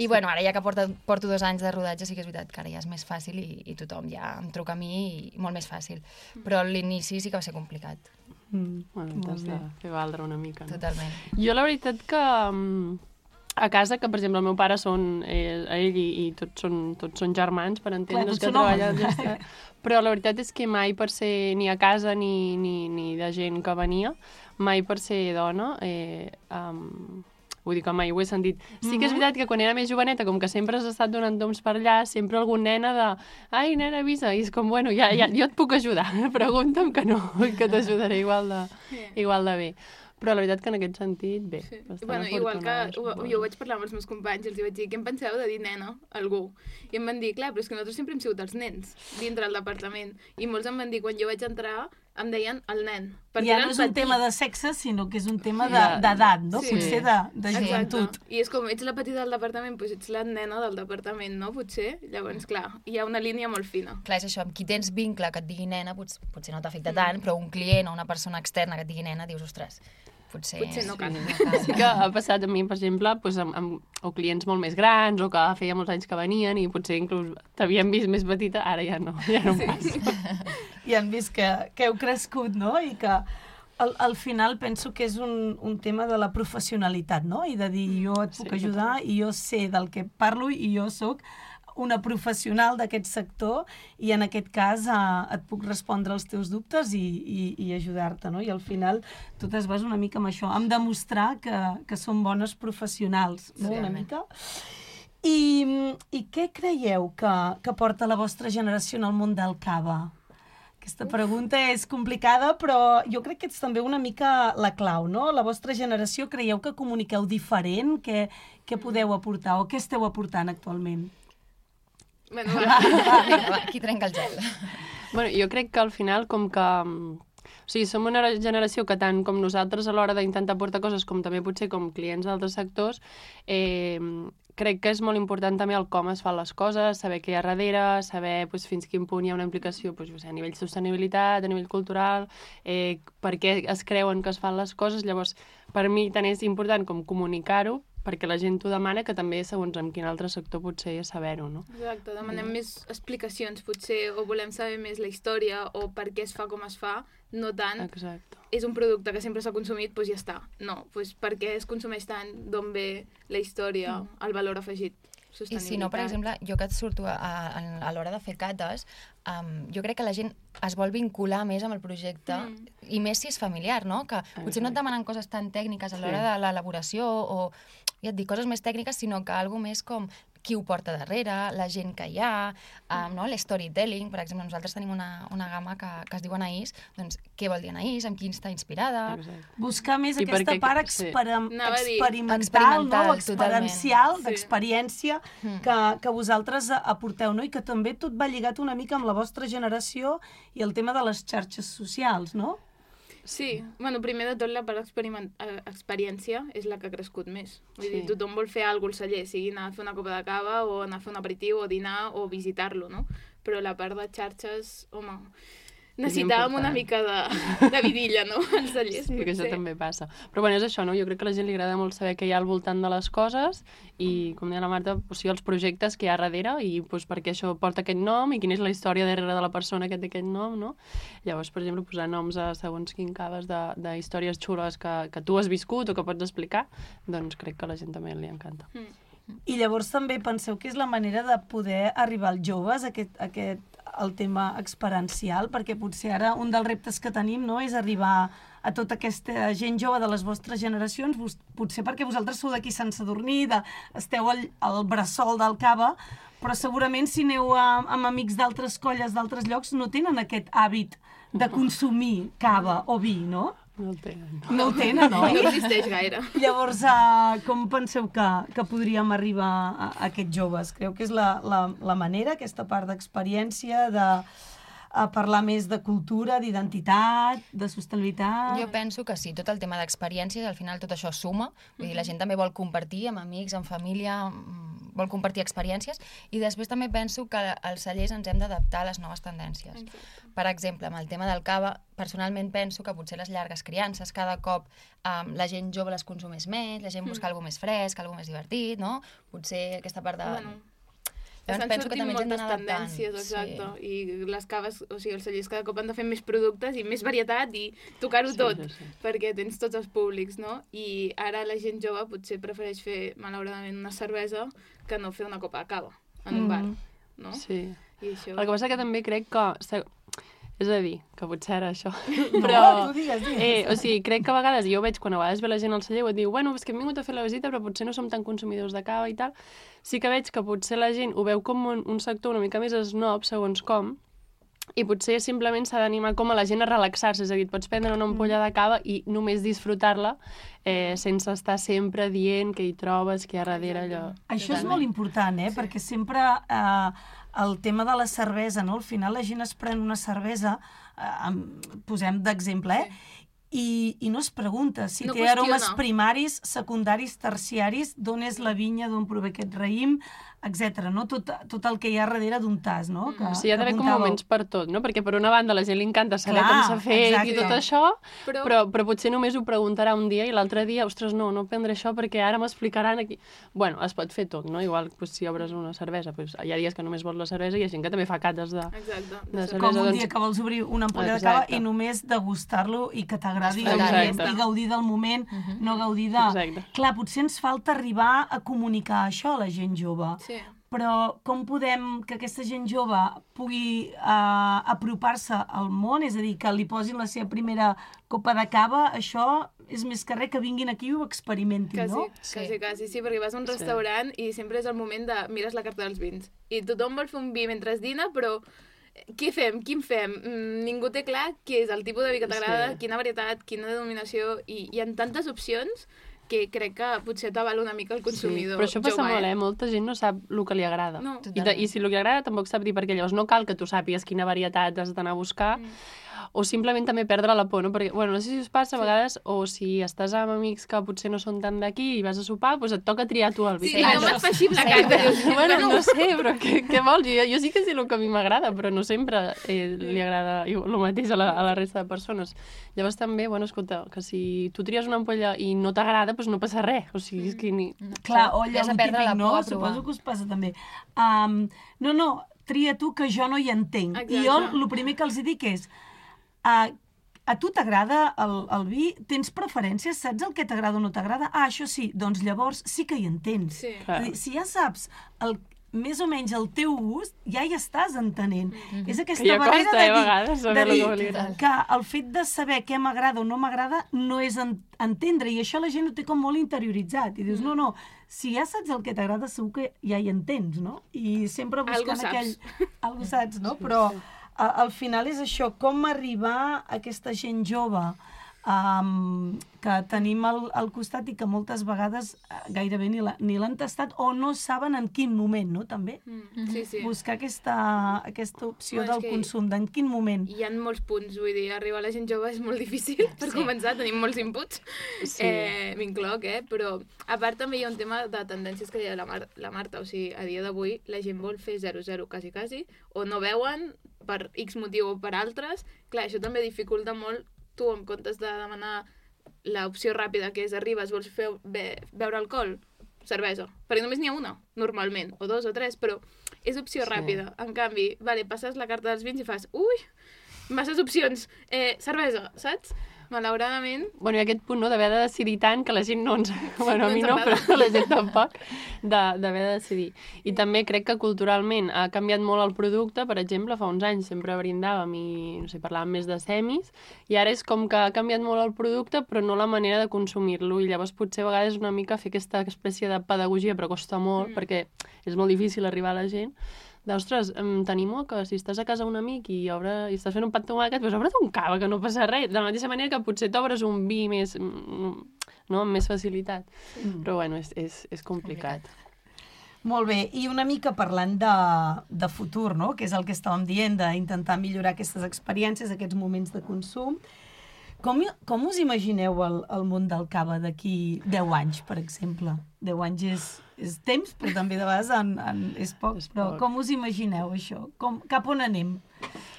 I bueno, ara ja que porto, porto dos anys de rodatge, sí que és veritat que ara ja és més fàcil i, i tothom ja em truca a mi i molt més fàcil. Però l'inici sí que va ser complicat. Mm, bueno, t'has de fer valdre una mica, no? Totalment. Jo la veritat que a casa, que per exemple el meu pare són, eh, ell i, i tots, són, tots són germans, per entendre's, que treballen... Ja però la veritat és que mai per ser ni a casa ni, ni, ni de gent que venia, mai per ser dona, eh, um, vull dir que mai ho he sentit. Sí que és veritat que quan era més joveneta, com que sempre has estat donant toms per allà, sempre algun nena de ai, nena, avisa, i és com, bueno, ja, ja, jo et puc ajudar, pregunta'm que no, que t'ajudaré igual de, igual de bé. Però la veritat que en aquest sentit, bé. Sí. Bueno, igual que ho, jo ho vaig parlar amb els meus companys i els vaig dir, què em penseu de dir nena a algú? I em van dir, clar, però és que nosaltres sempre hem sigut els nens dintre del departament. I molts em van dir, quan jo vaig entrar, em deien el nen. Ja no és un tema de sexe, sinó que és un tema d'edat, no? Sí. Potser de, de joventut. I és com, ets la petita del departament, doncs ets la nena del departament, no? Potser. Llavors, clar, hi ha una línia molt fina. Clar, és això, amb qui tens vincle que et digui nena, potser, potser no t'afecta mm. tant, però un client o una persona externa que et digui nena, dius, ostres, potser... Potser no cal. Sí que ha passat a mi, per exemple, doncs, amb, amb, o clients molt més grans o que feia molts anys que venien i potser inclús t'havien vist més petita, ara ja no, ja no em passa. I han vist que, que heu crescut, no? I que al, al final penso que és un, un tema de la professionalitat, no? I de dir, jo et puc sí, ajudar i jo sé del que parlo i jo sóc una professional d'aquest sector i en aquest cas eh, et puc respondre els teus dubtes i, i, i ajudar-te, no? I al final tu es vas una mica amb això, amb demostrar que, que som bones professionals, no? Sí, una mica. I, i què creieu que, que porta la vostra generació en el món del cava? Aquesta pregunta és complicada, però jo crec que és també una mica la clau, no? La vostra generació, creieu que comuniqueu diferent? Què, què podeu aportar o què esteu aportant actualment? Bueno, va, va, va, aquí trenca el gel. Bueno, jo crec que al final, com que... O sigui, som una generació que tant com nosaltres a l'hora d'intentar portar coses, com també potser com clients d'altres sectors, eh, crec que és molt important també el com es fan les coses, saber què hi ha darrere, saber pues, fins quin punt hi ha una implicació pues, a nivell de sostenibilitat, a nivell cultural, eh, per què es creuen que es fan les coses. Llavors, per mi tant és important com comunicar-ho, perquè la gent t'ho demana, que també segons en quin altre sector potser saber-ho, no? Exacte, demanem mm. més explicacions potser, o volem saber més la història, o per què es fa com es fa, no tant. Exacte. És un producte que sempre s'ha consumit, doncs ja està. No, doncs per què es consumeix tant, d'on ve la història, mm. el valor afegit. I si no, per exemple, jo que et surto a, a, a l'hora de fer cates, um, jo crec que la gent es vol vincular més amb el projecte, mm. i més si és familiar, no? Que potser no et demanen coses tan tècniques a l'hora sí. de l'elaboració o, ja et dic, coses més tècniques, sinó que algo més com qui ho porta darrere, la gent que hi ha, um, no? L'storytelling, per exemple, nosaltres tenim una, una gamma que, que es diu Anaïs, doncs què vol dir Anaïs, amb qui està inspirada... Exacte. Buscar més I aquesta perquè, part experim sí. experimental, experimental, no? Experiencial, sí. d'experiència mm. que, que vosaltres aporteu, no? I que també tot va lligat una mica amb la vostra generació i el tema de les xarxes socials, no? Sí, bueno, primer de tot la part experiència és la que ha crescut més. Vull sí. dir, tothom vol fer alguna cosa al celler, sigui anar a fer una copa de cava o anar a fer un aperitiu o dinar o visitar-lo, no? Però la part de xarxes, home, necessitàvem una mica de, de vidilla, no?, als cellers. Sí, que això també passa. Però bueno, és això, no? Jo crec que a la gent li agrada molt saber què hi ha al voltant de les coses i, com deia la Marta, o sigui, els projectes que hi ha darrere i doncs, per què això porta aquest nom i quina és la història darrere de la persona que té aquest nom, no? Llavors, per exemple, posar noms a segons quin caves de, de històries xules que, que tu has viscut o que pots explicar, doncs crec que a la gent també li encanta. Mm. I llavors també penseu que és la manera de poder arribar als joves, aquest, aquest, el tema experiencial, perquè potser ara un dels reptes que tenim, no, és arribar a tota aquesta gent jove de les vostres generacions, vos, potser perquè vosaltres sou d'aquí Sant Sadurní, de, esteu al, al bressol del Cava, però segurament si aneu a, amb amics d'altres colles d'altres llocs no tenen aquest hàbit de consumir cava o vi, no? No el tenen. No el tenen, no? No existeix gaire. Llavors, uh, com penseu que, que podríem arribar a, a aquests joves? Creu que és la, la, la manera, aquesta part d'experiència, de a parlar més de cultura, d'identitat, de sostenibilitat? Jo penso que sí, tot el tema d'experiències, al final tot això suma, vull dir, la gent també vol compartir amb amics, amb família, vol compartir experiències, i després també penso que als cellers ens hem d'adaptar a les noves tendències. Exacte. Per exemple, amb el tema del cava, personalment penso que potser les llargues criances, cada cop um, la gent jove les consumeix més, la gent busca mm. alguna més fresc, alguna més divertit, no? Potser aquesta part de... Bueno. Llavors Estan penso que també ens hem moltes d'anar adaptant. tendències, exacte, sí. I les caves, o sigui, els cellers cada cop han de fer més productes i més varietat i tocar-ho sí, tot, sí, sí. perquè tens tots els públics, no? I ara la gent jove potser prefereix fer, malauradament, una cervesa que no fer una copa de cava en un mm. bar, no? Sí. I això... El que passa que també crec que... És a dir, que potser era això. No, però, tu digues, digues. Eh, o sigui, crec que a vegades, jo ho veig quan a vegades ve la gent al celler i et diu, bueno, és que hem vingut a fer la visita però potser no som tan consumidors de cava i tal. Sí que veig que potser la gent ho veu com un, un sector una mica més snob, segons com, i potser simplement s'ha d'animar com a la gent a relaxar-se, és a dir, et pots prendre una ampolla de cava i només disfrutar-la eh, sense estar sempre dient què hi trobes, què hi ha darrere allò. Això és molt important, eh? Sí. Perquè sempre eh, el tema de la cervesa, no? Al final la gent es pren una cervesa, eh, posem d'exemple, eh? Sí. I, i no es pregunta si no té qüestiona. aromes primaris, secundaris, terciaris, d'on és la vinya, d'on prové aquest raïm, etcètera. No? Tot, tot el que hi ha darrere d'un tas, no? Que, o sigui, hi ha d'haver com moments per tot, no? Perquè per una banda la gent li encanta saber Clar, com s'ha fet exacte. I tot això, però... Però, però potser només ho preguntarà un dia i l'altre dia, ostres, no, no prendré això perquè ara m'explicaran aquí... Bueno, es pot fer tot, no? Igual pues, si obres una cervesa, pues, hi ha dies que només vols la cervesa i hi ha gent que també fa cates de, Exacte. de cervesa. Com un doncs... dia que vols obrir una ampolla de cava i només degustar-lo i que t'agradi i gaudir del moment, uh-huh. no gaudir de... Exacte. Clar, potser ens falta arribar a comunicar això a la gent jove. Sí. Però com podem que aquesta gent jove pugui uh, apropar-se al món, és a dir, que li posin la seva primera copa de cava, això és més que res que vinguin aquí i ho experimentin, quasi, no? Quasi, sí. quasi, sí, perquè vas a un restaurant sí. i sempre és el moment de mires la carta dels vins. I tothom vol fer un vi mentre dina, però què fem? Quin fem? Mm, ningú té clar què és el tipus de vi que t'agrada, sí. quina varietat, quina denominació, i hi ha tantes opcions que crec que potser t'aval una mica el consumidor. Sí, però això passa jove, molt, eh? Molta gent no sap el que li agrada. No. I, de, I si el que li agrada tampoc sap dir, perquè llavors no cal que tu sàpigues quina varietat has d'anar a buscar, mm. o simplement també perdre la por, no? Perquè, bueno, no sé si us passa a vegades, sí. o si estàs amb amics que potser no són tan d'aquí i vas a sopar, doncs et toca triar tu el vi. Sí, no m'has feixit la carta. Sí, bueno, no sé, però què, què vols? Jo, jo sí que sé el que a mi m'agrada, però no sempre eh, li agrada el mateix a la, a la resta de persones. Llavors també, bueno, escolta, que si tu tries una ampolla i no t'agrada, doncs no passa res. O sigui, és que ni... Clar, o allò típic, no? Suposo que us passa també. Um, no, no, tria tu que jo no hi entenc. Exacte. I jo el primer que els dic és Uh, a tu t'agrada el, el vi? Tens preferències? Saps el que t'agrada o no t'agrada? Ah, això sí, doncs llavors sí que hi entens. Sí. Dir, si ja saps el, més o menys el teu gust, ja hi estàs entenent. Mm-hmm. És aquesta que ja barrera costa, de dir, eh, vegades, de dir que el fet de saber què m'agrada o no m'agrada no és en, entendre, i això la gent ho té com molt interioritzat. I dius, mm. no, no, si ja saps el que t'agrada, segur que ja hi entens, no? I sempre buscant aquell... Algo saps, no? Però... Al final és això, com arribar a aquesta gent jove um, que tenim al, al costat i que moltes vegades gairebé ni la, ni l'han tastat o no saben en quin moment, no? També mm. sí, sí. buscar aquesta, aquesta opció bueno, del consum, d'en quin moment. Hi ha molts punts, vull dir, arribar a la gent jove és molt difícil, per sí. començar, tenim molts inputs, sí. eh, m'incloc, eh? Però a part també hi ha un tema de tendències que deia la, Mar la Marta, o sigui, a dia d'avui la gent vol fer zero zero quasi quasi, o no veuen per X motiu o per altres. Clar, això també dificulta molt. Tu, en comptes de demanar l'opció ràpida, que és arribes, vols fer, be, beure alcohol, cervesa, perquè només n'hi ha una, normalment, o dos o tres, però és opció sí. ràpida. En canvi, vale, passes la carta dels vins i fas, ui, masses opcions, eh, cervesa, saps? Malauradament... Bueno, i aquest punt, no?, d'haver de decidir tant que la gent no ens... Bueno, a mi no, però la gent tampoc, d'haver de decidir. I també crec que culturalment ha canviat molt el producte. Per exemple, fa uns anys sempre brindàvem i, no sé, parlàvem més de semis, i ara és com que ha canviat molt el producte, però no la manera de consumir-lo. I llavors potser a vegades una mica fer aquesta espècie de pedagogia, però costa molt, mm. perquè és molt difícil arribar a la gent. Ostres, t'animo que si estàs a casa un amic i, obre, i estàs fent un pat tomàquet, doncs obre't un cava, que no passa res. De la mateixa manera que potser t'obres un vi més, no, amb més facilitat. Mm. Però, bueno, és, és, és complicat. complicat. Molt bé, i una mica parlant de, de futur, no?, que és el que estàvem dient, d'intentar millorar aquestes experiències, aquests moments de consum. Com, com us imagineu el, el món del cava d'aquí deu anys, per exemple? deu anys és, és temps, però també de vegades en, en, és poc. És però poc. Com us imagineu això? Com, cap on anem?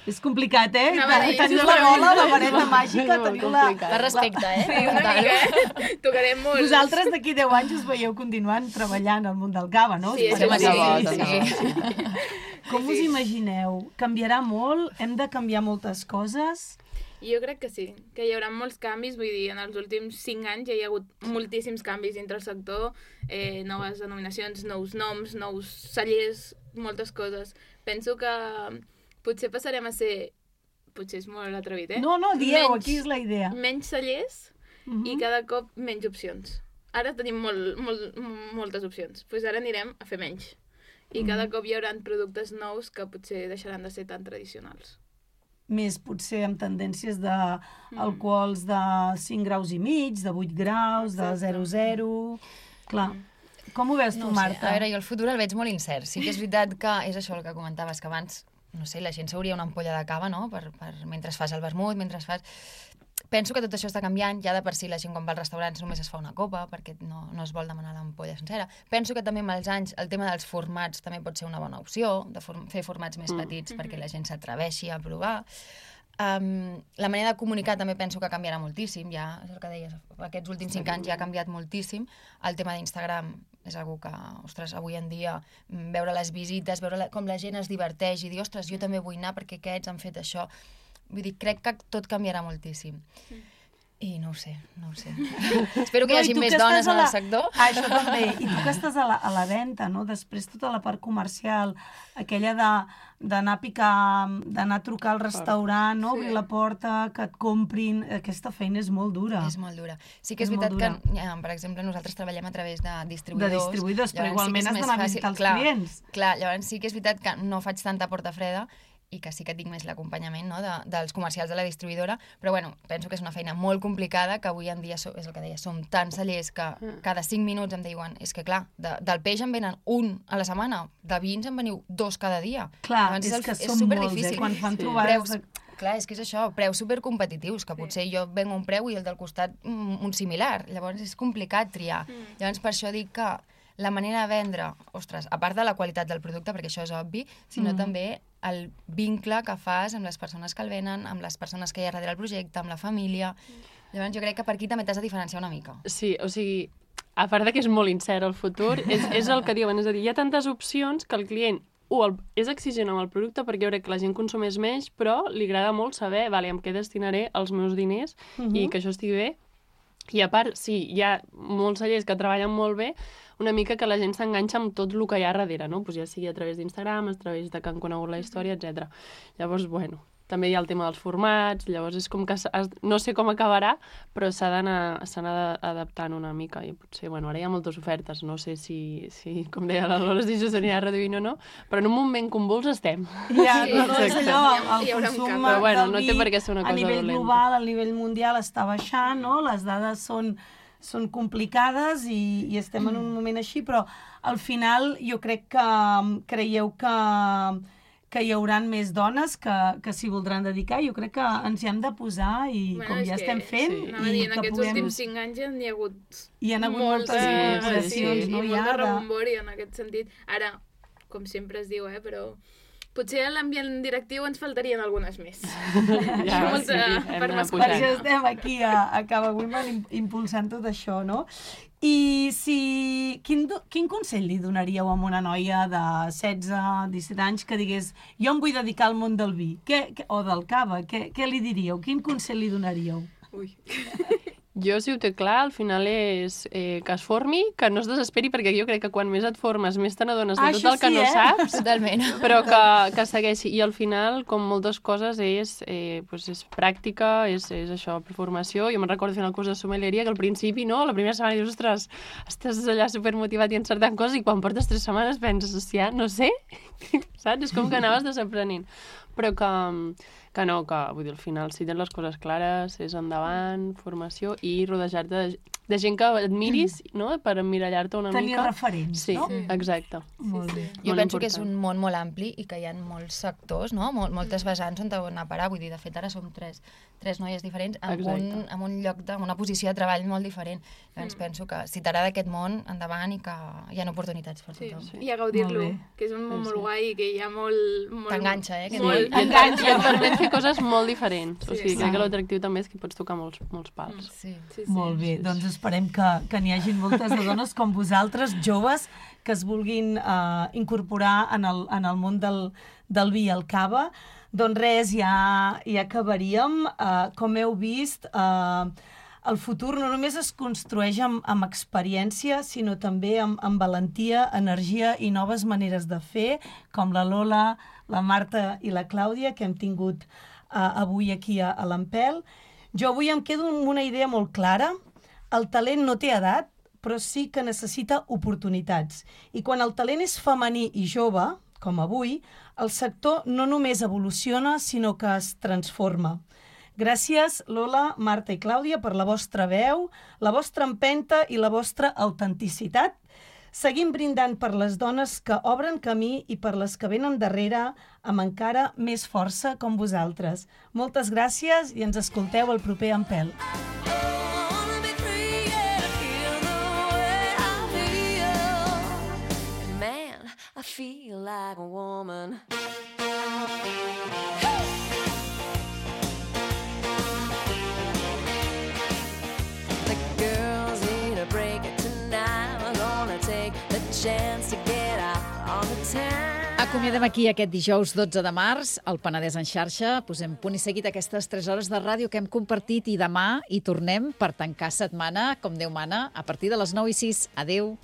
És complicat, eh? No, dir, teniu la bola, la vareta màgica, no, teniu la... Per respecte, eh? Sí, una mica, eh? Tocarem molt. Vosaltres d'aquí deu anys us veieu continuant treballant al món del cava, no? Sí, sí, sí, sí, sí, sí. Com us imagineu? Canviarà molt? Hem de canviar moltes coses? Jo crec que sí, que hi haurà molts canvis, vull dir, en els últims cinc anys ja hi ha hagut moltíssims canvis dintre el sector, eh, noves denominacions, nous noms, nous cellers, moltes coses. Penso que potser passarem a ser, potser és molt atrevit, eh? No, no, dieu, menys, aquí és la idea. Menys cellers uh-huh. i cada cop menys opcions. Ara tenim molt, molt, moltes opcions, doncs ara anirem a fer menys. I uh-huh. cada cop hi haurà productes nous que potser deixaran de ser tan tradicionals. Més potser amb tendències d'alcohols de cinc graus i mig, de vuit graus, de zero zero... Clar. Com ho veus tu, no Marta? Sé. A veure, jo el futur el veig molt incert. Sí que és veritat que és això el que comentaves, que abans, no sé, la gent s'hauria una ampolla de cava, no?, per, per, mentre fas el vermut, mentre fas... Penso que tot això està canviant, ja de per si la gent quan va als restaurants només es fa una copa, perquè no, no es vol demanar l'ampolla sencera. Penso que també amb els anys el tema dels formats també pot ser una bona opció, de for fer formats més petits mm. perquè la gent s'atreveixi a provar. Um, la manera de comunicar també penso que canviarà moltíssim, ja és el que deies, aquests últims cinc anys ja ha canviat moltíssim. El tema d'Instagram és algo que, ostres, avui en dia, veure les visites, veure la, com la gent es diverteix i dir, ostres, jo també vull anar perquè aquests han fet això. Vull dir, crec que tot canviarà moltíssim. I no ho sé, no ho sé. Espero que no, hi hagi més dones en el sector. Ah, això també. I tu que estàs a la, a la venda, no? Després tota la part comercial, aquella d'anar a picar, d'anar a trucar al restaurant, no? Obrir la porta, que et comprin... Aquesta feina és molt dura. És molt dura. Sí que és, és veritat que, ja, per exemple, nosaltres treballem a través de distribuïdors. De distribuïdors, però igualment sí has d'anar a visitar els clar, clients. Clar, llavors sí que és veritat que no faig tanta porta freda, i que sí que tinc més l'acompanyament, no?, de, dels comercials de la distribuïdora, però bueno, penso que és una feina molt complicada, que avui en dia, so, és el que deia, som tants cellers que cada cinc minuts em diuen, és que clar, de, del peix em venen un a la setmana, de vins em veniu dos cada dia. Clar, Llavors, és, és que és som molts, eh, quan fan sí. trobades... Preus, clar, és que és això, preus supercompetitius, que potser jo vengo un preu i el del costat un, un similar, llavors és complicat triar. Mm. Llavors per això dic que la manera de vendre, ostres, a part de la qualitat del producte, perquè això és obvi, sinó mm. també el vincle que fas amb les persones que el venen, amb les persones que hi ha darrere el projecte, amb la família. Llavors jo crec que per aquí també t'has de diferenciar una mica. Sí, o sigui, a part de que és molt incert el futur, és, és el que diuen, és a dir, hi ha tantes opcions que el client uh, el, és exigent amb el producte perquè jo crec que la gent consumeix menys, però li agrada molt saber, vale, amb què destinaré els meus diners uh-huh. i que això estigui bé. I a part, sí, hi ha molts cellers que treballen molt bé, una mica que la gent s'enganxa amb tot el que hi ha darrere, no? Pues ja sigui a través d'Instagram, a través de que han conegut la història, etcètera. Llavors, bueno, també hi ha el tema dels formats, llavors és com que has, no sé com acabarà, però s'ha d'anar adaptant una mica i potser, bueno, ara hi ha moltes ofertes, no sé si, si com deia la Lola, si això s'anirà reduint o no, però en un moment convuls estem. Ja, sí, no, és allò, el, el consum però, bueno, del no vi té per què ser una cosa a nivell dolenta. global, a nivell mundial està baixant, no? Les dades són són complicades i, i estem en un moment així, però al final jo crec que creieu que, que hi haurà més dones que, que s'hi voldran dedicar. Jo crec que ens hi hem de posar i bueno, com ja estem fent... Sí. I dir, en que aquests puguem... últims cinc anys ja n'hi ha hagut, hi ha hagut moltes moltes incorporacions, sí, no? i I molt de ara... rebombori en aquest sentit. Ara, com sempre es diu, eh, però... Potser a l'ambient directiu ens faltarien algunes més. Ja, molta, sí, per Per això estem aquí a, a Cava Women impulsant tot això, no? I si... Quin, quin consell li donaríeu a una noia de setze, disset anys que digués jo em vull dedicar al món del vi què, què, o del cava? Què, què li diríeu? Quin consell li donaríeu? Ui. Jo, si ho té clar, al final és eh, que es formi, que no es desesperi, perquè jo crec que quan més et formes, més te n'adones de ah, tot el que sí, no eh? saps, Totalment. però que, que segueixi. I al final, com moltes coses, és, eh, pues és pràctica, és, és això, formació. Jo me'n recordo fent el curs de sommelieria, que al principi, no?, la primera setmana dius, ostres, estàs allà supermotivat i encertant coses, i quan portes tres setmanes penses, hòstia, no sé, saps? És com que anaves desaprenent. Però que, que no, que vull dir, al final, si tens les coses clares, és endavant, formació, i rodejar-te de, de gent que admiris, no?, per emmirallar-te una Tenir mica. referents, sí, no? Sí, exacte. Molt bé. Jo Molt penso que és important. un món molt ampli i que hi ha molts sectors, no? Mol, moltes vessants on anar a parar. Vull dir, de fet, ara som tres, tres noies diferents amb un, amb un lloc de, una posició de treball molt diferent. Llavors mm. penso que si t'agrada aquest món, endavant, i que hi ha oportunitats per tothom. Sí, sí. I a gaudir-lo, que és un món molt guai i que hi ha molt... molt T'enganxa, eh? Molt. I et permet fer coses molt diferents. Sí, o sigui, sí. crec que l'atractiu també és que pots tocar molts, molts pals. Sí. Sí, sí. Molt bé, doncs esperem que, que n'hi hagi moltes de dones com vosaltres, joves, que es vulguin uh, incorporar en el, en el món del, del vi i el cava. Doncs res, ja, ja acabaríem. Uh, com heu vist, uh, el futur no només es construeix amb, amb experiència, sinó també amb, amb valentia, energia i noves maneres de fer, com la Lola, la Marta i la Clàudia, que hem tingut uh, avui aquí a, a l'Ampel. Jo avui em quedo amb una idea molt clara. El talent no té edat, però sí que necessita oportunitats. I quan el talent és femení i jove, com avui, el sector no només evoluciona, sinó que es transforma. Gràcies, Lola, Marta i Clàudia, per la vostra veu, la vostra empenta i la vostra autenticitat. Seguim brindant per les dones que obren camí i per les que venen darrere amb encara més força com vosaltres. Moltes gràcies i ens escolteu el proper Ampel. I feel like a woman. The girls need a break tonight. We're gonna take the chance to get out on the town. Acomiadem aquí aquest dijous dotze de març, al Penedès en xarxa. Posem punt i seguit aquestes tres hores de ràdio que hem compartit i demà hi tornem per tancar setmana, com Déu mana, a partir de les nou i sis. Adéu.